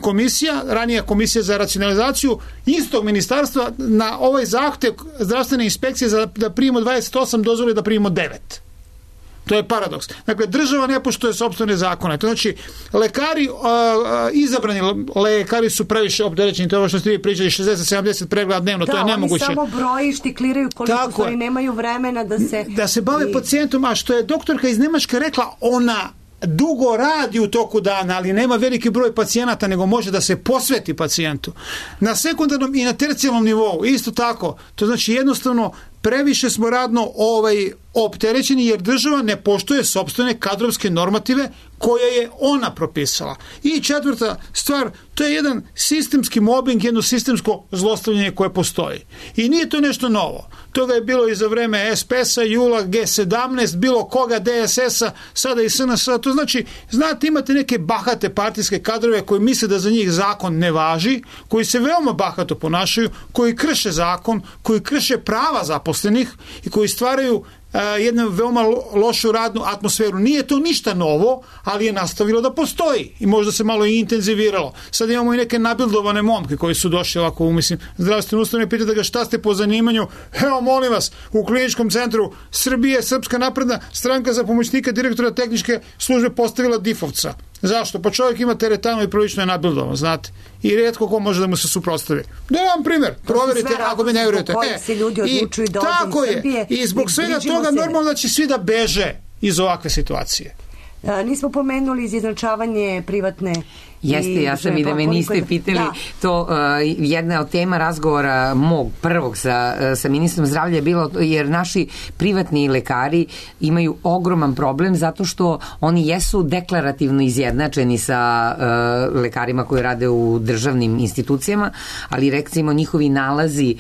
komisija, ranija komisija za racionalizaciju istog ministarstva na ovaj zahtev zdravstvene inspekcije da primimo 28 dozvoli da primimo 9. To je paradoks. Dakle, država ne poštuje sopstvene zakone. To znači, lekari, izabrani lekari su previše opterećeni. To je ovo što ste vi pričali, 60-70 pregleda dnevno, to je nemoguće. Da, oni samo broji, štikliraju koliko stvari, nemaju vremena da se bave pacijentom, a što je doktorka iz Nemačke rekla, ona dugo radi u toku dana, ali nema veliki broj pacijenata, nego može da se posveti pacijentu. Na sekundarnom i na tercijalnom nivou, isto tako, to znači jednostavno previše smo radno opterećeni jer država ne poštuje sopstvene kadrovske normative koje je ona propisala. I četvrta stvar, to je jedan sistemski mobbing, jedno sistemsko zlostavljanje koje postoji. I nije to nešto novo. Toga je bilo i za vreme SPS-a, Jula, G17, bilo koga, DSS-a, sada i SNS-a. To znači, znate, imate neke bahate partijske kadrove koji misle da za njih zakon ne važi, koji se veoma bahato ponašaju, koji krše zakon, koji krše prava zaposlenih i koji stvaraju jednu veoma lošu radnu atmosferu. Nije to ništa novo, ali je nastavilo da postoji i možda se malo i intenziviralo. Sad imamo i neke nabildovane momke koji su došli ovako, mislim, zdravstvene ustanove, pitate ga šta ste po zanimanju. Evo, molim vas, u Kliničkom centru Srbije Srpska napredna stranka za pomoćnika direktora tehničke službe postavila difovca. Zašto? Pa čovjek ima teretanu i prilično je nabildovan, znate. I rijetko ko može da mu se suprotstavi. Da vam primjer, proverite ako mi ne vjerujete. Tako je. I zbog svega toga normalno da će svi da beže iz ovakve situacije. Nismo pomenuli izjednačavanje privatne. Jeste, ja sam i da me niste pitali to, jedna od tema razgovora mog prvog sa ministrom zdravlja je bilo jer naši privatni lekari imaju ogroman problem zato što oni jesu deklarativno izjednačeni sa lekarima koji rade u državnim institucijama, ali recimo njihovi nalazi,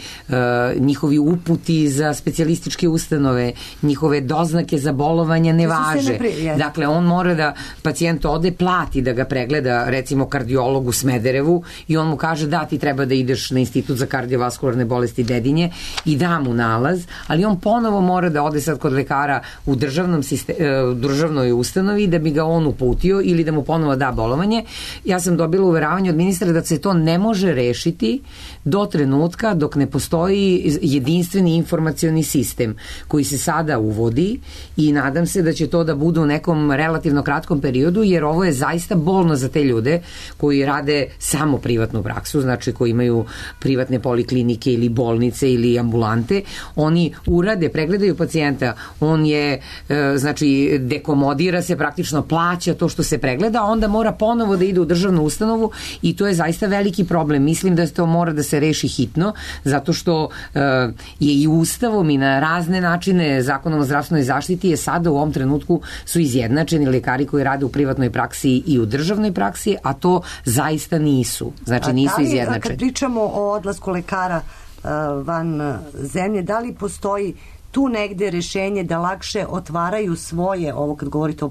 njihovi uputi za specijalističke ustanove, njihove doznake za bolovanja ne važe. Dakle, on mora da pacijent ode, plati da ga pregleda, recimo kardiolog u Smederevu i on mu kaže da ti treba da ideš na Institut za kardiovaskularne bolesti Dedinje i da mu nalaz, ali on ponovo mora da ode sad kod lekara u državnoj ustanovi da bi ga on uputio ili da mu ponovo da bolovanje. Ja sam dobila uveravanje od ministra da se to ne može rešiti do trenutka dok ne postoji jedinstveni informacioni sistem koji se sada uvodi i nadam se da će to da bude u nekom relativno kratkom periodu jer ovo je zaista bolno za te ljude koji rade samo privatnu praksu, znači koji imaju privatne poliklinike ili bolnice ili ambulante, oni urade, pregledaju pacijenta, on je, znači, dekomodira se, praktično plaća to što se pregleda, a onda mora ponovo da ide u državnu ustanovu i to je zaista veliki problem. Mislim da to mora da se reši hitno, zato što je i ustavom i na razne načine Zakonom o zdravstvenoj zaštiti je sada u ovom trenutku su izjednačeni lekari koji rade u privatnoj praksi i u državnoj praksi, a to zaista nisu. Znači nisu izjednačeni. Kad pričamo o odlasku lekara van zemlje, da li postoji tu negde rešenje da lakše otvaraju svoje, ovo kad govorite o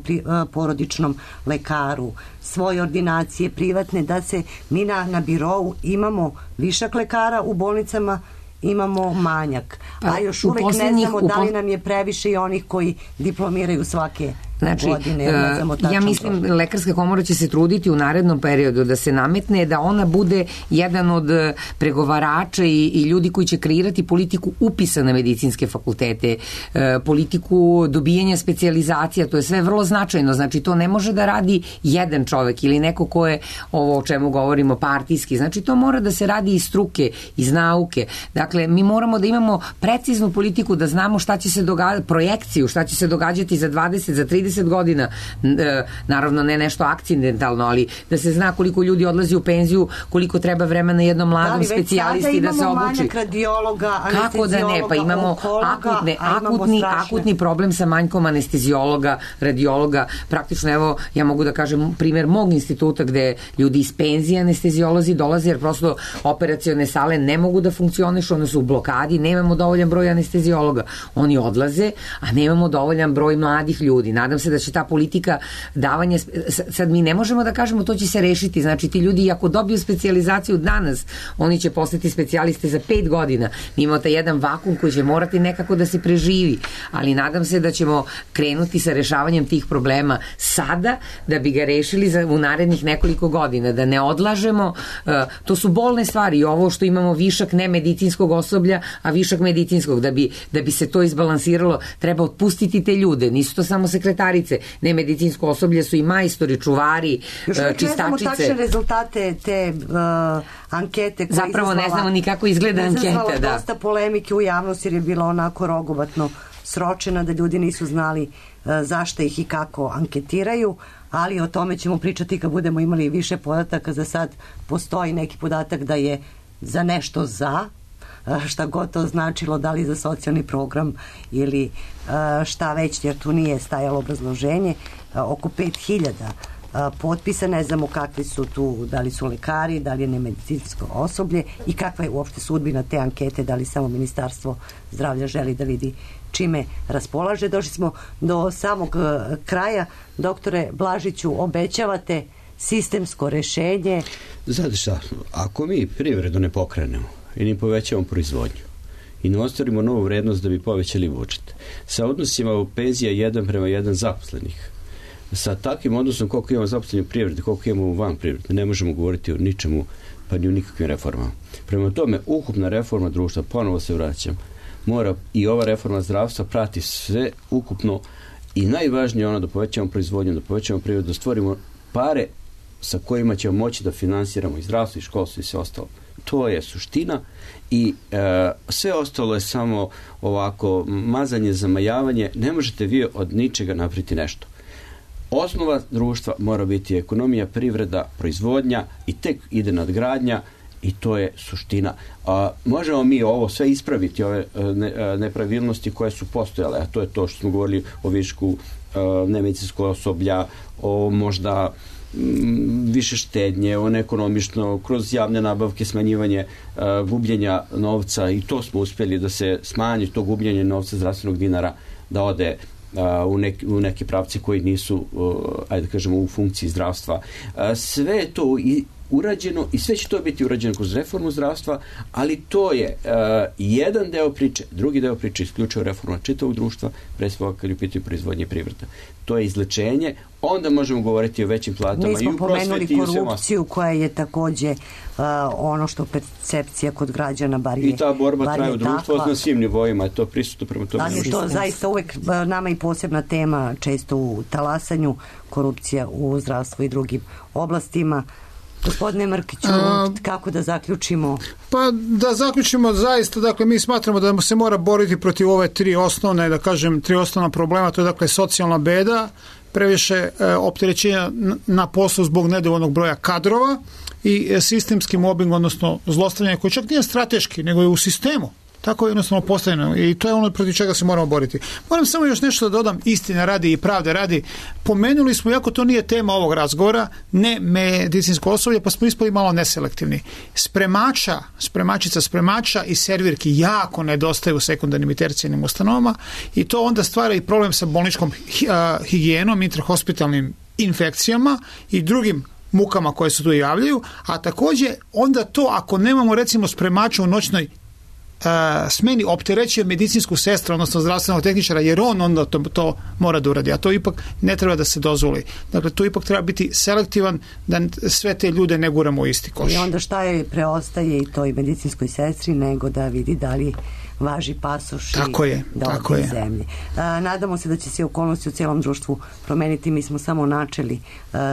porodičnom lekaru, svoje ordinacije privatne, da se mi na birou imamo višak lekara, u bolnicama imamo manjak, a još uvek ne znamo da li nam je previše i onih koji diplomiraju svake godine. Ja mislim Lekarska komora će se truditi u narednom periodu da se nametne da ona bude jedan od pregovarača i ljudi koji će kreirati politiku upisa na medicinske fakultete, politiku dobijanja specijalizacija, to je sve vrlo značajno, znači to ne može da radi jedan čovek ili neko ko je ovo o čemu govorimo partijski, znači to mora da se radi iz struke, iz nauke. Dakle, mi moramo da imamo preciznu politiku, da znamo šta će se događati, projekciju, šta će se događati za 20, za 30 godina, naravno ne nešto akcidentalno, ali da se zna koliko ljudi odlazi u penziju, koliko treba vremena jednom mladom specijalisti da se obuči. Manjak radiologa, kako da ne, pa imamo akutni problem sa manjkom anestezijologa, radiologa, praktično evo, ja mogu da kažem primjer mog instituta gde ljudi iz penzije anestezijolozi dolaze jer prosto operacione sale ne mogu da funkcionišu, one su u blokadi, nemamo dovoljan broj anestezijologa. Oni odlaze, a nemamo dovoljan broj mladih ljudi. Nadam se da će ta politika davanja, sad mi ne možemo da kažemo to će se rešiti, znači ti ljudi ako dobiju specijalizaciju danas, oni će postati specijaliste za 5 godina. Mi imamo taj jedan vakum koji će morati nekako da se preživi, ali nadam se da ćemo krenuti sa rešavanjem tih problema sada, da bi ga rešili u narednih nekoliko godina, da ne odlažemo, to su bolne stvari, ovo što imamo višak nemedicinskog osoblja, a višak medicinskog, da bi se to izbalansiralo, treba otpustiti te ljude, nisu to samo sekretarice, nemedicinsko osoblje su i majstori, čuvari, čistačice. Ne znamo tačne rezultate te ankete. Zapravo ne znamo ni kako izgleda anketa. Izazvala dosta polemike u javnosti jer je bila onako rogobatno sročena da ljudi nisu znali zašto ih i kako anketiraju, ali o tome ćemo pričati kad budemo imali više podataka. Za sad postoji neki podatak da je za nešto za, šta god to značilo, da li za socijalni program ili šta već, jer tu nije stajalo obrazloženje. Oko 5000 potpisa, ne znamo kakvi su tu, da li su lekari, da li je nemedicinsko osoblje i kakva je uopšte sudbina te ankete, da li samo Ministarstvo zdravlja želi da vidi čime raspolaže. Došli smo do samog kraja. Doktore Blažiću, obećavate sistemsko rešenje? Znate šta, ako mi privredu ne pokrenemo i ne povećavamo proizvodnju i ne ostvarimo novu vrednost da bi povećali budžet, sa odnosima u penzija 1:1 zaposlenih, sa takvim odnosom koliko imamo zaposlenih u privredi, koliko imamo van privrede, ne možemo govoriti o ničemu, pa ni o nikakvim reformama. Prema tome, ukupna reforma društva, ponovo se vraćam, mora i ova reforma zdravstva prati sve ukupno i najvažnije ono da povećamo proizvodnju, da povećamo privredu, da stvorimo pare sa kojima ćemo moći da finansiramo i zdravstvo i školstvo i sve ostalo. To je suština i sve ostalo je samo ovako mazanje, zamajavanje. Ne možete vi od ničega napraviti nešto. Osnova društva mora biti ekonomija, privreda, proizvodnja i tek ide nadgradnja i to je suština. Možemo mi ovo sve ispraviti, ove nepravilnosti koje su postojale, a to je to što smo govorili o višku nemedicinskog osoblja, o možda više štednje, on ekonomično, kroz javne nabavke, smanjivanje gubljenja novca, i to smo uspjeli da se smanji to gubljenje novca zdravstvenog dinara, da ode u neke pravci koji nisu, ajde da kažemo, u funkciji zdravstva. Sve je to urađeno i sve će to biti urađeno kroz reformu zdravstva, ali to je jedan deo priče. Drugi deo priče isključivo reforma čitavog društva, pre svega kad je u pitanju proizvodnje i privreda. To je izlečenje, onda možemo govoriti o većim platama i u prosveti i u svemu. Mi smo pomenuli korupciju koja je takođe ono što percepcija kod građana bar je. I ta borba traje u društvu na svim nivoima, je to prisutno prema tome. Ali to zaista uvek nama i posebna tema, često u talasanju, korupcija u zdravstvu i drugim oblastima. Gospodine Mrkiću, kako da zaključimo? Pa da zaključimo zaista, dakle mi smatramo da se mora boriti protiv ove tri osnovna problema, to je dakle socijalna beda, previše opterećenja na poslu zbog nedovoljnog broja kadrova i sistemski mobbing, odnosno zlostavljanje koji čak nije strateški, nego je u sistemu. Tako je jednostavno postavljeno i to je ono protiv čega se moramo boriti. Moram samo još nešto da dodam, istine radi i pravde radi. Pomenuli smo, iako to nije tema ovog razgovora, ne medicinsko osoblje, pa smo ispali malo neselektivni. Spremača i servirki jako nedostaju u sekundarnim i tercijarnim ustanovama i to onda stvara i problem sa bolničkom higijenom, intrahospitalnim infekcijama i drugim mukama koje se tu javljaju, a takođe onda to ako nemamo recimo spremača u noćnoj smeni opterećuje medicinsku sestru, odnosno zdravstvenog tehničara, jer on onda to mora da uradi, a to ipak ne treba da se dozvoli. Dakle, to ipak treba biti selektivan, da sve te ljude ne guramo u isti koš. I onda šta je preostaje i toj medicinskoj sestri nego da vidi da li važi pasoš i da ode iz zemlje. Nadamo se da će se okolnosti u cijelom društvu promeniti. Mi smo samo načeli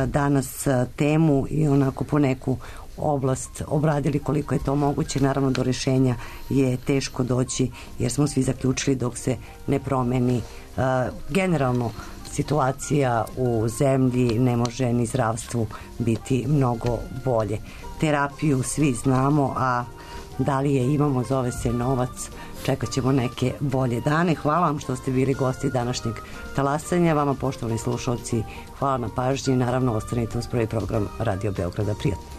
danas temu i onako po neku oblast obradili koliko je to moguće. Naravno do rešenja je teško doći jer smo svi zaključili dok se ne promeni generalno situacija u zemlji, ne može ni zdravstvu biti mnogo bolje. Terapiju svi znamo, a da li je imamo, zove se novac. Čekat ćemo neke bolje dane. Hvala vam što ste bili gosti današnjeg talasanja. Vama, poštovani slušalci, hvala na pažnji. Naravno, ostanite uz prvi program Radio Beograda. Prijatno.